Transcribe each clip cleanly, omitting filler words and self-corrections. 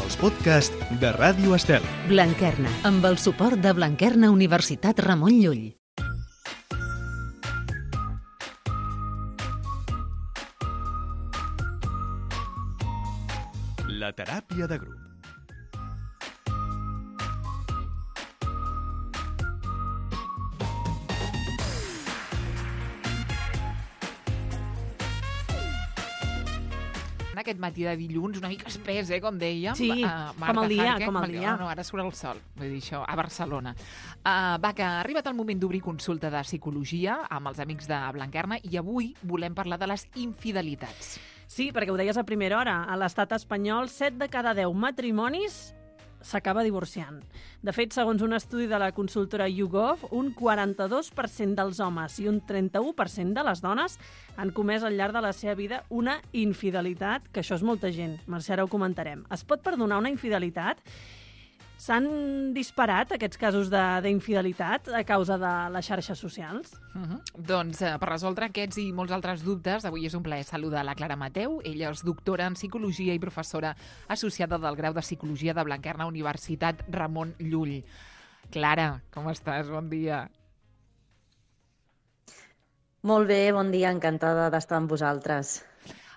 els podcasts de Ràdio Estel. Blanquerna, amb el suport de Blanquerna Universitat Ramon Llull. La teràpia de grup. Aquest matí de dilluns, una mica espès, com dèiem. Sí, Marta com el dia, Franque, com el dia. No, ara surt el sol, vull dir això, a Barcelona. Que ha arribat el moment d'obrir consulta de psicologia amb els amics de Blanquerna i avui volem parlar de les infidelitats. Sí, perquè ho deies a primera hora. A l'estat espanyol, 7 de cada 10 matrimonis s'acaba divorciant. De fet, segons un estudi de la consultora YouGov, un 42% dels homes i un 31% de les dones han comès al llarg de la seva vida una infidelitat, que això és molta gent. Mercè, ara ho comentarem. Es pot perdonar una infidelitat? S'han disparat aquests casos d'infidelitat a causa de les xarxes socials? Doncs per resoldre aquests i molts altres dubtes, avui és un plaer saludar la Clara Mateu. Ella és doctora en Psicologia i professora associada del grau de Psicologia de Blanquerna Universitat Ramon Llull. Clara, com estàs? Bon dia. Molt bé, bon dia, encantada d'estar amb vosaltres.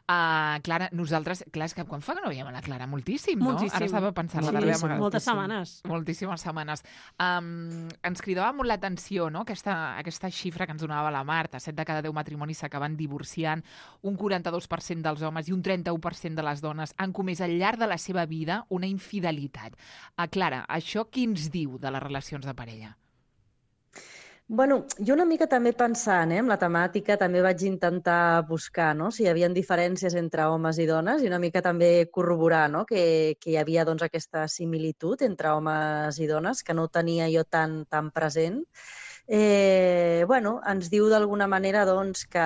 Clara, nosaltres, és que quan fa que no veiem a la Clara? Moltíssim, no? Moltíssim. Ara estava pensant la Sí, darrera vegada. moltes setmanes. Moltíssimes setmanes. Ens cridava molt l'atenció, no?, aquesta xifra que ens donava la Marta. 7 de cada 10 matrimonis s'acaben divorciant, un 42% dels homes i un 31% de les dones han comès al llarg de la seva vida una infidelitat. Clara, això què ens diu de les relacions de parella? Bueno, jo una mica també pensant amb la temàtica, també vaig intentar buscar si hi havia diferències entre homes i dones i una mica també corroborar que hi havia aquesta similitud entre homes i dones, que no ho tenia jo tan present. Ens diu d'alguna manera que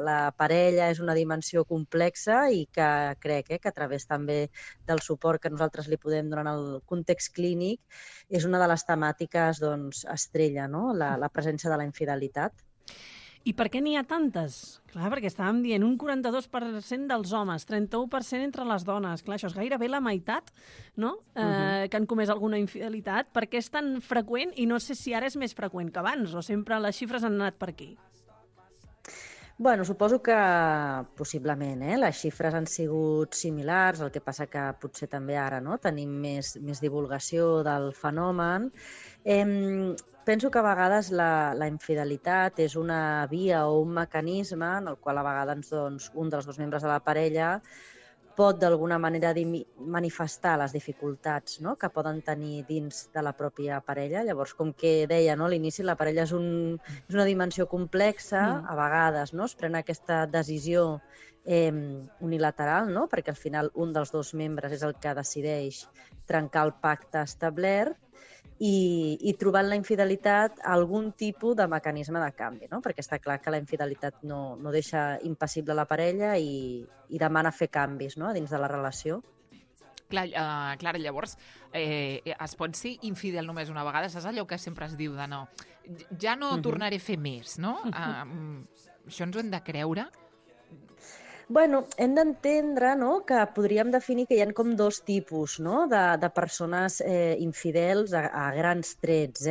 la parella és una dimensió complexa i que crec que a través també del suport que nosaltres li podem donar en el context clínic és una de les temàtiques estrella, la presència de la infidelitat. I per què n'hi ha tantes? Clar, perquè estàvem dient un 42% dels homes, 31% entre les dones. Clar, això és gairebé la meitat, no?, que han comès alguna infidelitat. Per què és tan freqüent? I no sé si ara és més freqüent que abans, o sempre les xifres han anat per aquí. Bueno, suposo que possiblement les xifres han sigut similars, el que passa que potser també ara tenim més divulgació del fenomen. Penso que a vegades la infidelitat és una via o un mecanisme en el qual a vegades un dels dos membres de la parella pot d'alguna manera manifestar les dificultats que poden tenir dins de la pròpia parella. Llavors, com que deia a l'inici, la parella és una dimensió complexa, a vegades es pren aquesta decisió unilateral, perquè al final un dels dos membres és el que decideix trencar el pacte establert i trobant la infidelitat algun tipus de mecanisme de canvi, perquè està clar que la infidelitat no deixa impassible la parella i demana fer canvis dins de la relació. Clara, llavors, es pot ser infidel només una vegada? Saps allò que sempre es diu de no? Ja no tornaré a fer més, no? Això ens ho hem de creure? Bueno, hem d'entendre que podríem definir que hi ha com dos tipus de persones infidels a grans trets.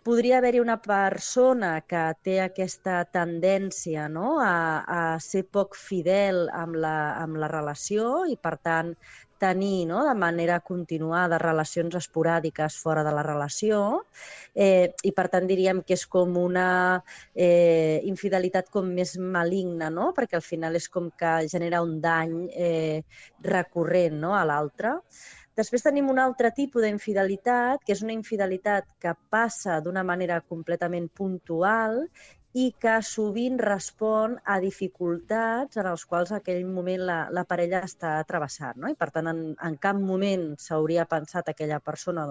Podria haver-hi una persona que té aquesta tendència a ser poc fidel amb la relació i, per tant, tenir de manera continuada relacions esporàdiques fora de la relació i, per tant, diríem que és com una infidelitat com més maligna, perquè al final és com que genera un dany recurrent a l'altre. Després tenim un altre tipus d'infidelitat, que és una infidelitat que passa d'una manera completament puntual i que sovint respon a dificultats en els quals en aquell moment la parella està travessant. I, per tant, en cap moment s'hauria pensat aquella persona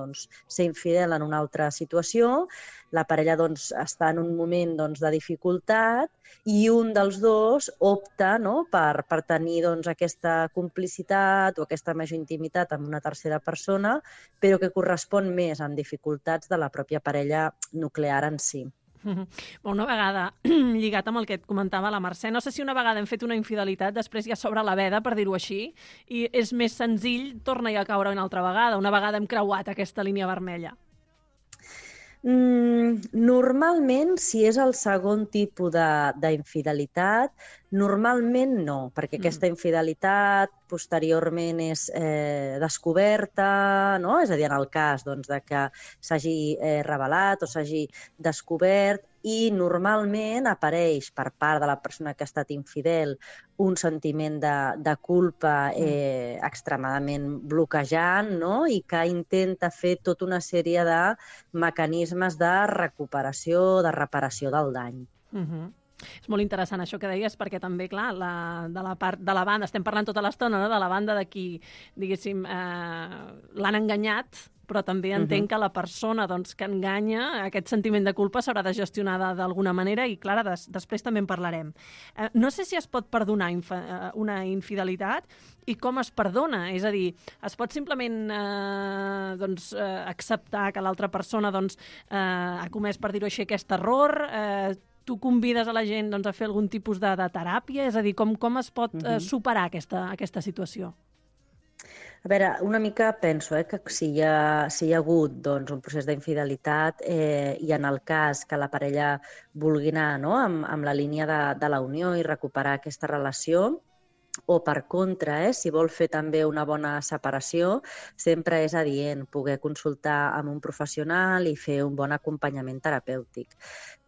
ser infidel en una altra situació. La parella està en un moment de dificultat i un dels dos opta per tenir aquesta complicitat o aquesta major intimitat amb una tercera persona, però que correspon més amb dificultats de la pròpia parella nuclear en si. Una vegada, lligat amb el que et comentava la Mercè, no sé si una vegada hem fet una infidelitat, després ja s'obre la veda, per dir-ho així, i és més senzill, torna-hi a caure una altra vegada. Una vegada hem creuat aquesta línia vermella. Normalment, si és el segon tipus d'infidelitat, normalment no, perquè aquesta infidelitat posteriorment és descoberta, no? És a dir, en el cas doncs, de que s'hagi revelat o s'hagi descobert, i normalment apareix per part de la persona que ha estat infidel un sentiment de culpa extremadament bloquejant, no? I que intenta fer tota una sèrie de mecanismes de recuperació, de reparació del dany. És molt interessant això que deies, perquè també, clar, de la part de la banda, estem parlant tota l'estona, no? De la banda de qui, diguéssim, l'han enganyat, però també entenc que la persona doncs, que enganya, aquest sentiment de culpa s'haurà de gestionar d'alguna manera i, clar, després també en parlarem. No sé si es pot perdonar una infidelitat i com es perdona. És a dir, es pot simplement acceptar que l'altra persona ha comès, per dir-ho així, aquest error. Tu convides a la gent a fer algun tipus de teràpia? És a dir, com es pot superar aquesta situació? A veure, una mica penso que si hi ha hagut un procés d'infidelitat i en el cas que la parella vulgui anar amb la línia de la unió i recuperar aquesta relació, o per contra, si vol fer també una bona separació, sempre és adient poder consultar amb un professional i fer un bon acompanyament terapèutic.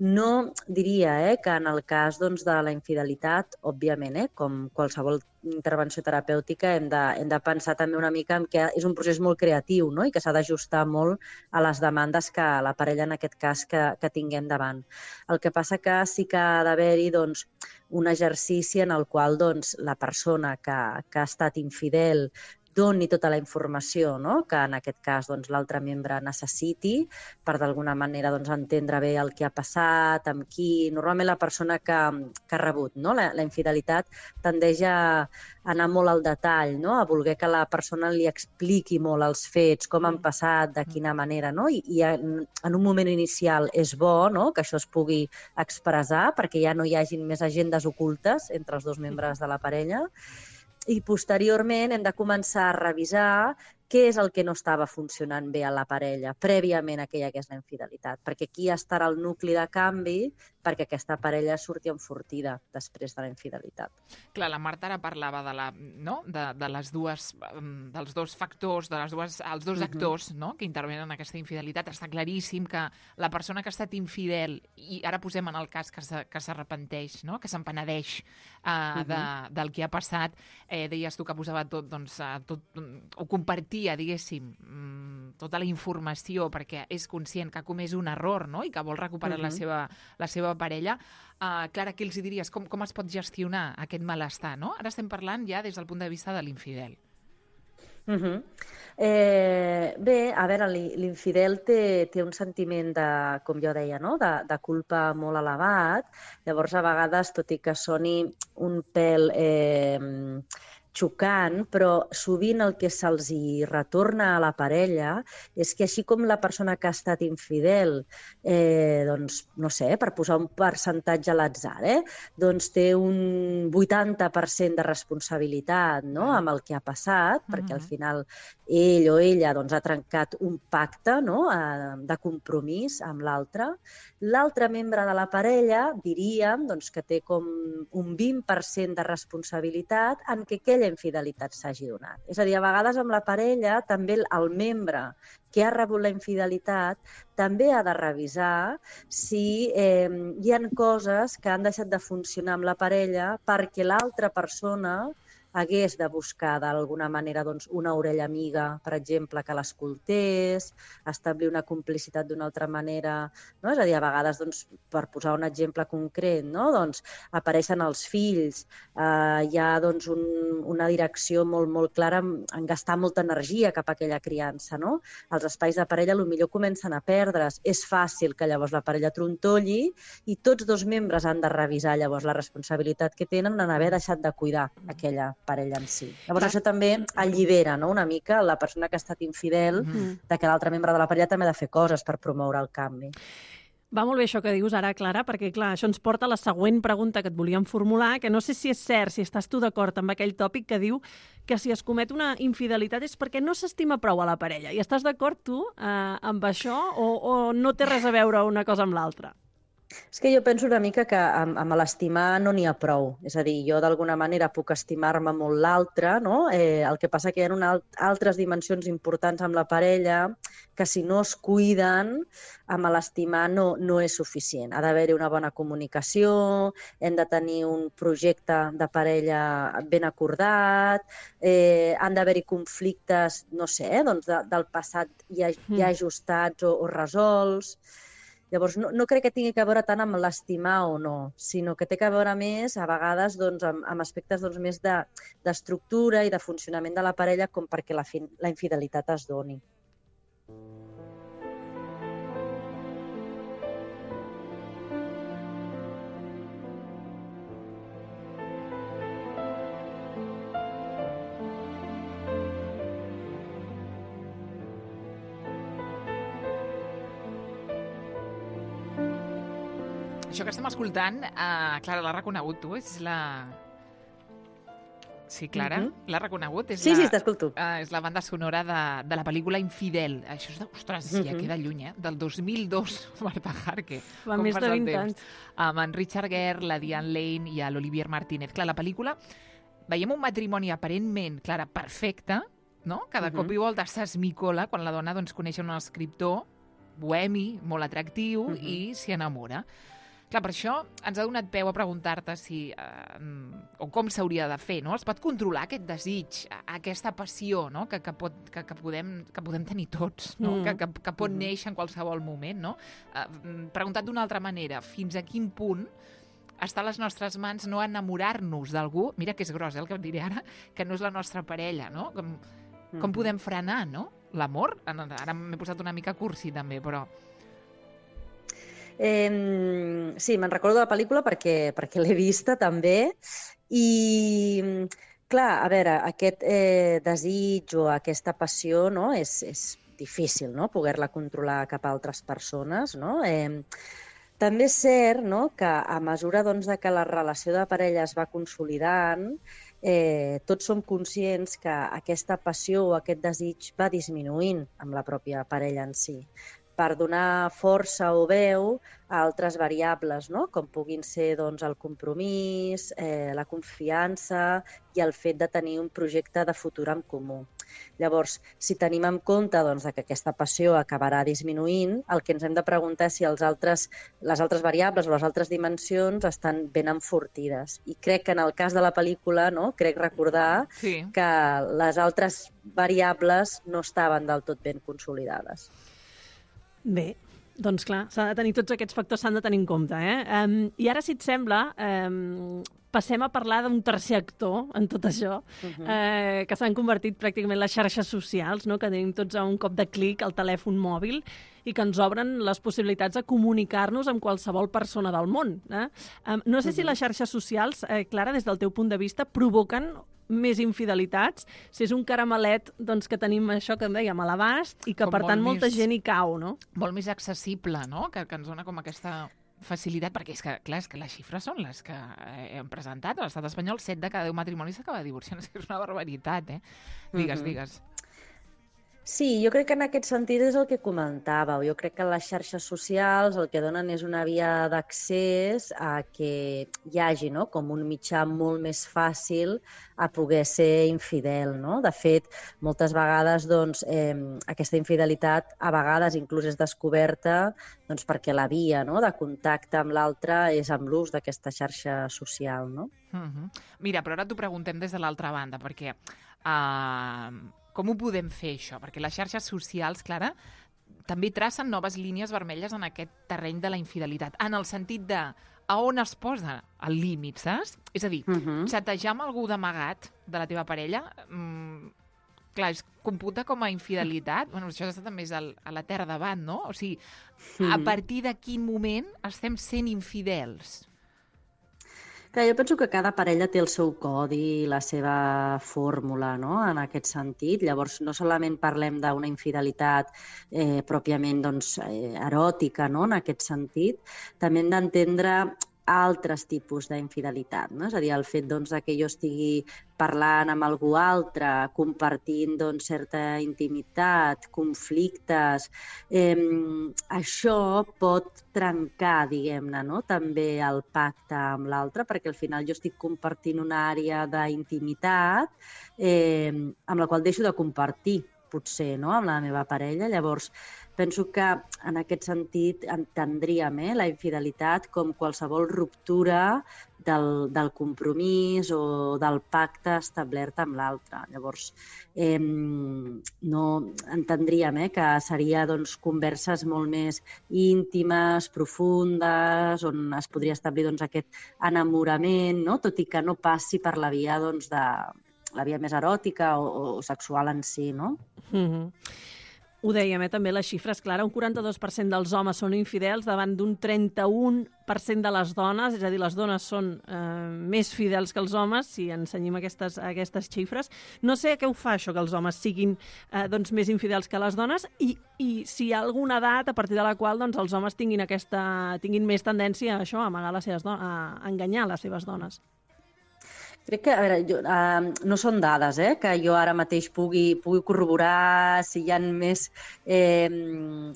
No diria que en el cas de la infidelitat, òbviament, com qualsevol intervenció terapèutica, hem de pensar també una mica en que és un procés molt creatiu, no? I que s'ha d'ajustar molt a les demandes que la parella, en aquest cas, que tinguem davant. El que passa que sí que ha d'haver-hi un exercici en el qual la persona que ha estat infidel doni tota la informació que en aquest cas l'altre membre necessiti per d'alguna manera entendre bé el que ha passat, amb qui. Normalment la persona que ha rebut la infidelitat tendeix a anar molt al detall, a voler que la persona li expliqui molt els fets, com han passat, de quina manera. I en un moment inicial és bo que això es pugui expressar perquè ja no hi hagin més agendes ocultes entre els dos membres de la parella. I posteriorment hem de començar a revisar què és el que no estava funcionant bé a la parella prèviament a que hi hagués la infidelitat, perquè aquí estarà el nucli de canvi perquè aquesta parella surti enfortida després de la infidelitat. Clar, la Marta ara parlava de les dels dos factors, els dos actors que intervenen en aquesta infidelitat. Està claríssim que la persona que ha estat infidel, i ara posem en el cas que s'arrepenteix, que s'empenedeix del que ha passat, deies tu que posava tot, o compartia, diguéssim, tota la informació perquè és conscient que ha comès un error i que vol recuperar la seva parella. Clara, què els diries? Com es pot gestionar aquest malestar? Ara estem parlant ja des del punt de vista de l'infidel. Bé, a veure, l'infidel té un sentiment com jo deia, de culpa molt elevat. Llavors, a vegades, tot i que soni un pèl xocant, però sovint el que se'ls retorna a la parella és que així com la persona que ha estat infidel, no sé, per posar un percentatge a l'atzar, té un 80% de responsabilitat amb el que ha passat, perquè al final ell o ella ha trencat un pacte de compromís amb l'altre. L'altre membre de la parella diríem que té com un 20% de responsabilitat en que aquella infidelitat s'hagi donat. És a dir, a vegades amb la parella també el membre que ha rebut la infidelitat també ha de revisar si hi ha coses que han deixat de funcionar amb la parella perquè l'altra persona hagués de buscar d'alguna manera una orella amiga, per exemple, que l'escoltés, establir una complicitat d'una altra manera. És a dir, a vegades, per posar un exemple concret, apareixen els fills, hi ha una direcció molt, molt clara en gastar molta energia cap a aquella criança. Els espais de parella potser comencen a perdre's. És fàcil que llavors la parella trontolli i tots dos membres han de revisar llavors la responsabilitat que tenen en haver deixat de cuidar aquella parella en si. Llavors això també allibera una mica la persona que ha estat infidel de que l'altre membre de la parella també ha de fer coses per promoure el canvi. Va molt bé això que dius ara, Clara, perquè clar, això ens porta a la següent pregunta que et volíem formular, que no sé si és cert, si estàs tu d'acord amb aquell tòpic que diu que si es comet una infidelitat és perquè no s'estima prou a la parella. I estàs d'acord tu amb això o no té res a veure una cosa amb l'altra? És que jo penso una mica que amb l'estimar no n'hi ha prou. És a dir, jo d'alguna manera puc estimar-me molt l'altre, no? El que passa que hi ha altres dimensions importants amb la parella que si no es cuiden, amb l'estimar no és suficient. Ha d'haver-hi una bona comunicació, hem de tenir un projecte de parella ben acordat, han d'haver-hi conflictes, no sé, doncs del passat ja ajustats o resolts. Llavors, no crec que tingui que veure tant amb l'estimar o no, sinó que té que veure més, a vegades, doncs, amb aspectes més d'estructura i de funcionament de la parella com perquè la infidelitat es doni. Això que estem escoltant, Clara, l'ha reconegut tu? És la... Sí, Clara? L'ha reconegut? Sí, t'escolto. És la banda sonora de la pel·lícula Infidel. Això és ostres, ja queda lluny, del 2002, Marta Harque. Fa més de 20 anys. Amb en Richard Gere, la Diane Lane i l'Olivier Martínez. Clar, la pel·lícula, veiem un matrimoni aparentment, Clara, perfecte, no? Cada cop i volta s'esmicola quan la dona coneix un escriptor bohemi, molt atractiu, i s'hi enamora. Clar, per això ens ha donat peu a preguntar-te si, o com s'hauria de fer, no? Es pot controlar aquest desig, aquesta passió, no? que podem tenir tots, no? Que pot néixer en qualsevol moment, no? Preguntat d'una altra manera, fins a quin punt està a les nostres mans no enamorar-nos d'algú, mira que és gros, el que et diré ara, que no és la nostra parella, no? Com podem frenar, no? L'amor? Ara m'he posat una mica cursi, també, però... Sí, me'n recordo de la pel·lícula perquè l'he vista també i clar, a veure, aquest desig o aquesta passió, no, és difícil, no, poder-la controlar cap a altres persones, no? També és cert, no, que a mesura de que la relació de parella es va consolidant, tots som conscients que aquesta passió o aquest desig va disminuint amb la pròpia parella en si, per donar força o veu a altres variables, no? Com puguin ser el compromís, la confiança i el fet de tenir un projecte de futur en comú. Llavors, si tenim en compte que aquesta passió acabarà disminuint, el que ens hem de preguntar és si les altres variables o les altres dimensions estan ben enfortides. I crec que en el cas de la pel·lícula, no? Crec recordar que les altres variables no estaven del tot ben consolidades. Bé, doncs clar, tots aquests factors s'han de tenir en compte. I ara, si et sembla, passem a parlar d'un tercer actor en tot això, que s'han convertit pràcticament les xarxes socials, no? Que tenim tots a un cop de clic al telèfon mòbil i que ens obren les possibilitats de comunicar-nos amb qualsevol persona del món. No sé si les xarxes socials, Clara, des del teu punt de vista, provoquen més infidelitats, si és un caramelet que tenim això que em dèiem a l'abast i que, per tant, molta gent hi cau, no? Molt més accessible, no? Que ens dona com aquesta facilitat, perquè és que, clar, és que les xifres són les que hem presentat. A l'estat espanyol, 7 de cada 10 matrimonis s'acaba divorciant. És una barbaritat, Digues. Sí, jo crec que en aquest sentit és el que comentàveu. Jo crec que les xarxes socials el que donen és una via d'accés a que hi hagi, no?, com un mitjà molt més fàcil a poder ser infidel, no? De fet, moltes vegades aquesta infidelitat a vegades inclús és descoberta perquè la via, no?, de contacte amb l'altre és amb l'ús d'aquesta xarxa social, no? Mira, però ara t'ho preguntem des de l'altra banda, perquè com ho podem fer, això? Perquè les xarxes socials, Clara, també tracen noves línies vermelles en aquest terreny de la infidelitat, en el sentit de a on es posa el límit, saps? És a dir, xatejar amb algú d'amagat de la teva parella, clar, es computa com a infidelitat. Bueno, això també és a la terra davant, no? O sigui, a partir de quin moment estem sent infidels? Clar, jo penso que cada parella té el seu codi, la seva fórmula, no?, en aquest sentit. Llavors, no solament parlem d'una infidelitat pròpiament eròtica, no?, en aquest sentit, també hem d'entendre altres tipus d'infidelitat, no? És a dir, el fet que jo estigui parlant amb algú altre, compartint certa intimitat, conflictes, això pot trencar, diguem-ne, no?, també el pacte amb l'altre, perquè al final jo estic compartint una àrea d'intimitat amb la qual deixo de compartir, potser, no?, amb la meva parella. Llavors, penso que en aquest sentit entendríem la infidelitat com qualsevol ruptura del compromís o del pacte establert amb l'altre. Llavors, no entendríem que seria converses molt més íntimes, profundes, on es podria establir aquest enamorament, no?, tot i que no passi per la via la via més eròtica o sexual en si, no? Ho dèiem, també les xifres, Clara, un 42% dels homes són infidels davant d'un 31% de les dones, és a dir, les dones són més fidels que els homes, si ensenyem aquestes xifres. No sé què ho fa això, que els homes siguin més infidels que les dones, i si hi ha alguna edat a partir de la qual els homes tinguin més tendència a això, a amagar a enganyar les seves dones. Crec que, a veure, no són dades que jo ara mateix pugui corroborar si hi ha més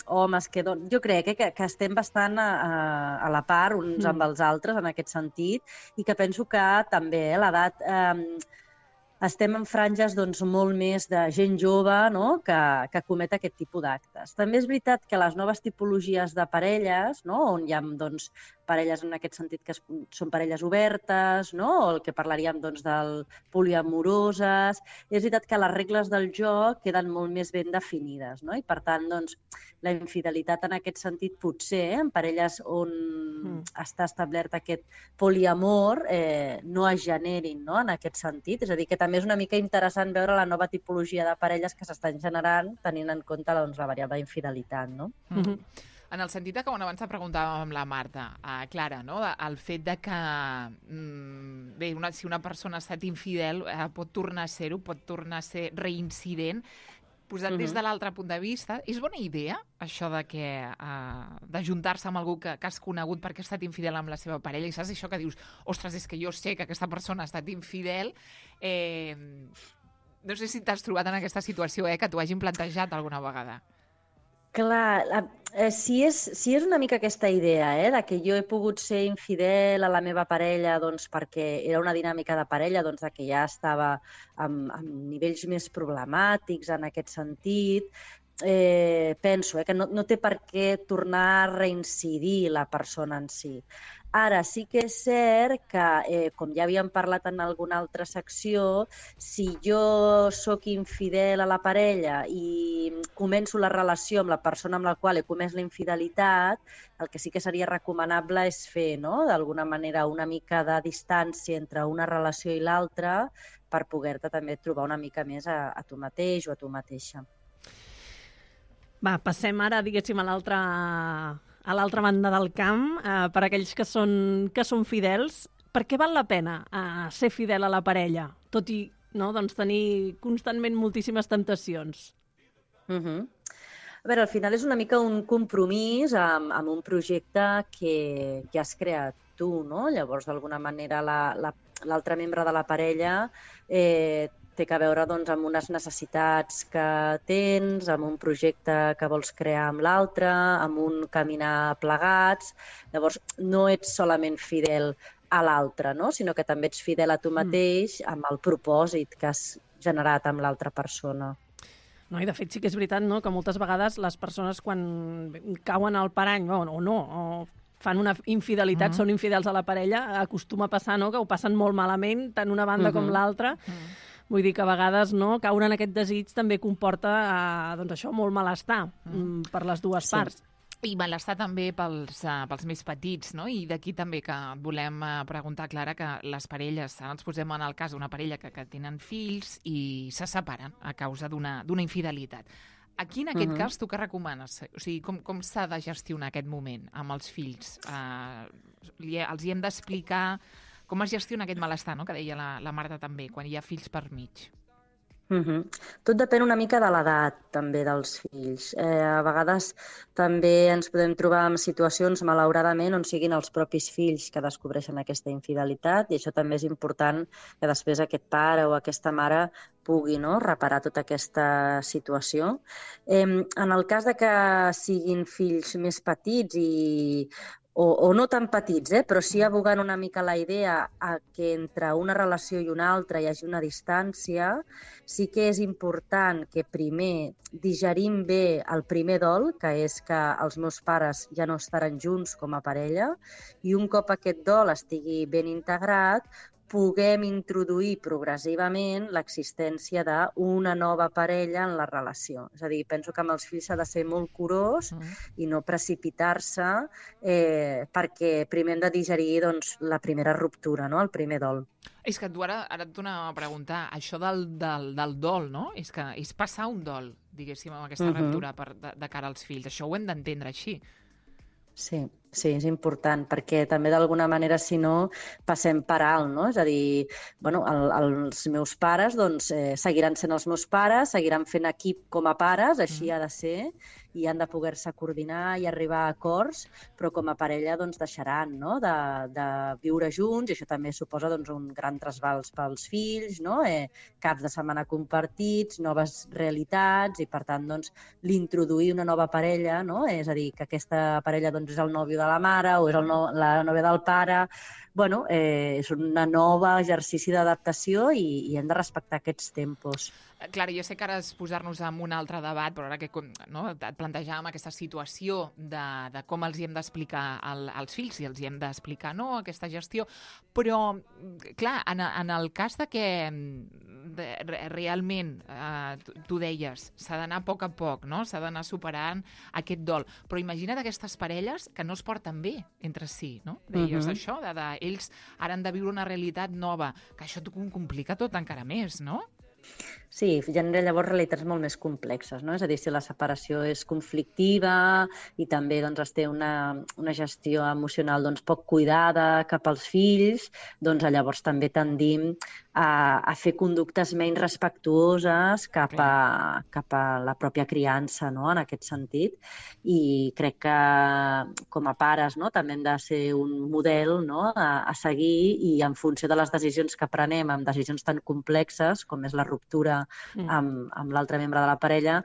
homes que dones. Jo crec que estem bastant a la part uns amb els altres en aquest sentit, i que penso que també l'edat estem en franges molt més de gent jove, no?, que comet aquest tipus d'actes. També és veritat que les noves tipologies de parelles, no?, on hi ha parelles en aquest sentit que són parelles obertes, no?, o el que parlaríem del poliamoroses, és veritat que les regles del joc queden molt més ben definides, no?, i per tant, la infidelitat en aquest sentit potser, en parelles on està establert aquest poliamor, no es generin, no?, en aquest sentit. És a dir, que també és una mica interessant veure la nova tipologia de parelles que s'estan generant tenint en compte la variable d'infidelitat, no? En el sentit que abans preguntàvem amb la Marta, Clara, no?, el fet que si una persona ha estat infidel pot tornar a ser-ho, pot tornar a ser reincident. Posat des de l'altre punt de vista, és bona idea això de juntar-se amb algú que has conegut perquè ha estat infidel amb la seva parella, i saps això que dius, ostres, és que jo sé que aquesta persona ha estat infidel. No sé si t'has trobat en aquesta situació, que t'ho hagin plantejat alguna vegada. Clar, si és una mica aquesta idea, de que jo he pogut ser infidel a la meva parella perquè era una dinàmica de parella de que ja estava amb nivells més problemàtics en aquest sentit, penso que no té per què tornar a reincidir la persona en si. Ara, sí que és cert que, com ja havíem parlat en alguna altra secció, si jo sóc infidel a la parella i començo la relació amb la persona amb la qual he comès la infidelitat, el que sí que seria recomanable és fer, no?, d'alguna manera una mica de distància entre una relació i l'altra per poder-te també trobar una mica més a tu mateix o a tu mateixa. Va, passem ara, diguéssim, a l'altra banda del camp, per aquells que són fidels. Per què val la pena ser fidel a la parella, tot i tenir constantment moltíssimes temptacions? A veure, al final és una mica un compromís amb un projecte que has creat tu, no? Llavors, d'alguna manera, l'altre membre de la parella té a veure amb unes necessitats que tens, amb un projecte que vols crear amb l'altre, amb un caminar plegats. Llavors, no ets solament fidel a l'altre, no?, sinó que també ets fidel a tu mateix amb el propòsit que has generat amb l'altra persona. No, i de fet sí que és veritat, no?, que moltes vegades les persones quan cauen al parany o fan una infidelitat, són infidels a la parella, acostuma a passar, no?, que ho passen molt malament, tant una banda com l'altra. Vull dir que a vegades caure en aquest desig també comporta això, molt malestar per les dues parts. I malestar també pels més petits, no? I d'aquí també que volem preguntar, Clara, que les parelles, ens posem en el cas d'una parella que tenen fills i se separen a causa d'una infidelitat. Aquí, en aquest cas, tu què recomanes? O sigui, com s'ha de gestionar aquest moment amb els fills? Els hi hem d'explicar Com es gestiona aquest malestar, no?, que deia la Marta també, quan hi ha fills per mig? Tot depèn una mica de l'edat, també, dels fills. A vegades també ens podem trobar en situacions, malauradament, on siguin els propis fills que descobreixen aquesta infidelitat, i això també és important que després aquest pare o aquesta mare pugui, no?, reparar tota aquesta situació. En el cas de que siguin fills més petits o no tan petits, però sí abogant una mica la idea a que entre una relació i una altra hi hagi una distància, sí que és important que primer digerim bé el primer dol, que és que els meus pares ja no estaran junts com a parella, i un cop aquest dol estigui ben integrat, puguem introduir progressivament l'existència d'una nova parella en la relació. És a dir, penso que amb els fills s'ha de ser molt curós i no precipitar-se perquè primer hem de digerir la primera ruptura, no?, el primer dol. És que tu ara et tornava a preguntar, això del dol, no? És que és passar un dol, diguéssim, amb aquesta ruptura de cara als fills. Això ho hem d'entendre així. Sí, és important, perquè també d'alguna manera, si no, passem per alt, no? És a dir, els meus pares seguiran sent els meus pares, seguiran fent equip com a pares, així ha de ser, i han de poder-se coordinar i arribar a acords, però com a parella deixaran, no?, de viure junts, i això també suposa un gran trasbals pels fills, no?, caps de setmana compartits, noves realitats, i per tant l'introduir una nova parella, no?, és a dir, que aquesta parella és el nòvio de la mare o és la nòvia del pare, és un nou exercici d'adaptació i hem de respectar aquests tempos. Clara, jo sé que ara és posar-nos en un altre debat, però ara que et plantejàvem aquesta situació de com els hi hem d'explicar als fills, si els hi hem d'explicar aquesta gestió, però, clar, en el cas de que realment, tu deies, s'ha d'anar a poc, no?, s'ha d'anar superant aquest dol, però imagina't aquestes parelles que no es porten bé entre si, no? Deies això, ells ara han de viure una realitat nova, que això t'ho complica tot encara més, no? Sí, genera llavors realitats molt més complexes, no? És a dir, si la separació és conflictiva i també es té una gestió emocional poc cuidada cap als fills, llavors també tendim a fer conductes menys respectuoses cap a la pròpia criança, no?, en aquest sentit. I crec que com a pares, no?, també hem de ser un model, no?, a seguir, i en funció de les decisions que prenem, amb decisions tan complexes com és la ruptura amb l'altre membre de la parella,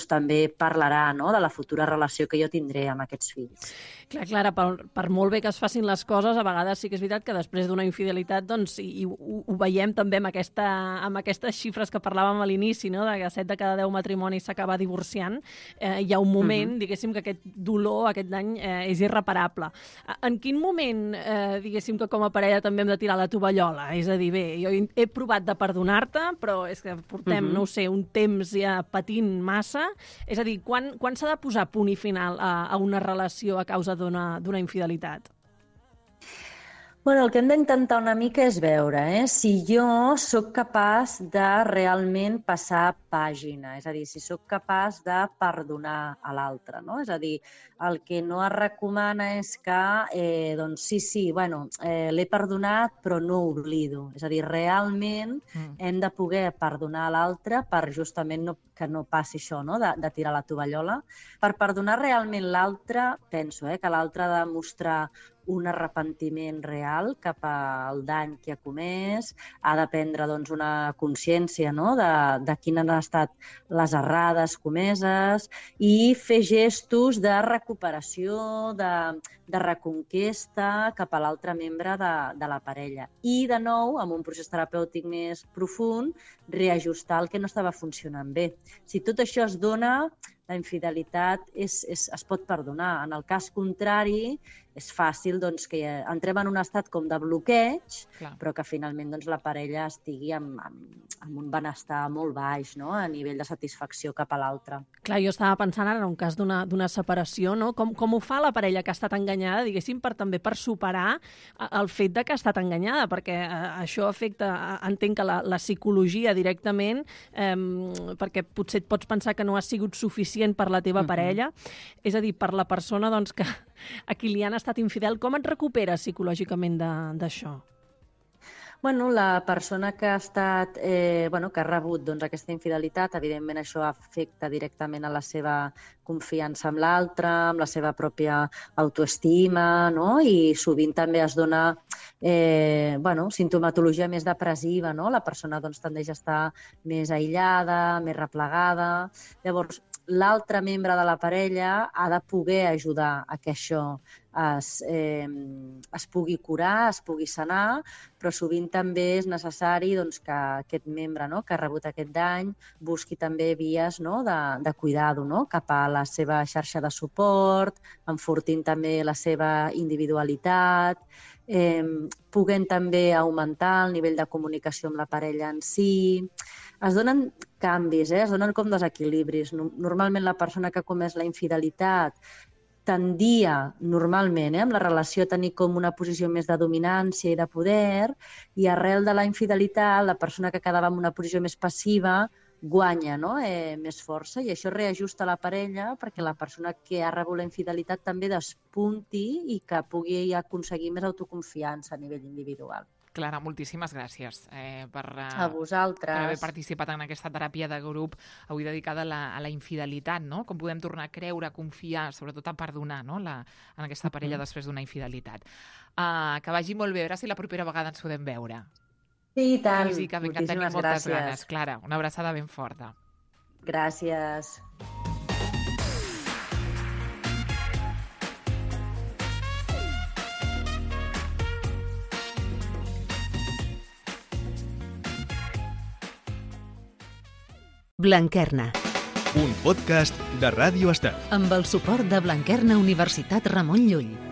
també parlarà, no?, de la futura relació que jo tindré amb aquests fills. Clar, Clara, per molt bé que es facin les coses, a vegades sí que és veritat que després d'una infidelitat, i ho veiem també amb aquestes xifres que parlàvem a l'inici, no?, de que 7 de cada 10 matrimonis s'acaba divorciant, hi ha un moment, diguéssim, que aquest dolor, aquest dany, és irreparable. En quin moment, diguéssim, que com a parella també hem de tirar la tovallola? És a dir, bé, jo he provat de perdonar-te, però és que portem, no ho sé, un temps ja patint massa. És a dir, quan s'ha de posar punt i final a una relació a causa d'una infidelitat? El que hem d'intentar una mica és veure si jo sóc capaç de realment passar pàgina, és a dir, si sóc capaç de perdonar a l'altre, no? És a dir, el que no es recomana és que, l'he perdonat però no oblido. És a dir, realment hem de poder perdonar a l'altre per justament que no passi això, no?, de tirar la tovallola. Per perdonar realment l'altre, penso que l'altre ha de mostrar un arrepentiment real cap al dany que ha comès, ha de prendre una consciència, no?, de quines han estat les errades comeses i fer gestos de recuperació, de reconquesta cap a l'altre membre de la parella. I, de nou, amb un procés terapèutic més profund, reajustar el que no estava funcionant bé. Si tot això es dona, la infidelitat es pot perdonar. En el cas contrari, és fàcil que entrem en un estat com de bloqueig, però que finalment la parella estigui amb un benestar molt baix, no?, a nivell de satisfacció cap a l'altre. Clar, jo estava pensant ara en un cas d'una separació, no? Com ho fa la parella que ha estat enganyada, diguéssim, també per superar el fet de que ha estat enganyada, perquè això afecta, entenc que la psicologia directament, perquè potser et pots pensar que no ha sigut suficient per la teva parella, és a dir, per la persona que a qui li han estat infidel, com et recuperes psicològicament d'això? Bueno, la persona que ha estat, que ha rebut doncs, aquesta infidelitat, evidentment això afecta directament a la seva confiança amb l'altre, amb la seva pròpia autoestima, no? I sovint també es dona sintomatologia més depressiva, no? La persona doncs, tendeix a estar més aïllada, més replegada. Llavors, l'altre membre de la parella ha de poder ajudar a que això es pugui curar, es pugui sanar, però sovint també és necessari doncs, que aquest membre, no, que ha rebut aquest dany busqui també vies, no, de cuidar-ho, no, cap a la seva xarxa de suport, enfortint també la seva individualitat, puguent també augmentar el nivell de comunicació amb la parella en si. Es donen canvis, es donen com desequilibris. Normalment la persona que ha comès la infidelitat tendia normalment amb la relació a tenir com una posició més de dominància i de poder, i arrel de la infidelitat la persona que quedava en una posició més passiva guanya, no? Més força, i això reajusta la parella perquè la persona que ha rebut la infidelitat també despunti i que pugui aconseguir més autoconfiança a nivell individual. Clara, moltíssimes gràcies per haver participat en aquesta teràpia de grup avui dedicada a la infidelitat, no? Com podem tornar a creure, a confiar, sobretot a perdonar, no? En aquesta parella després d'una infidelitat. Que vagi molt bé, a veure si la propera vegada ens podem veure. Sí, i tant. Físicament, que tenim moltes ganes. Clara, una abraçada ben forta. Gràcies. Blanquerna. Un podcast de Ràdio Estel. Amb el suport de Blanquerna Universitat Ramon Llull.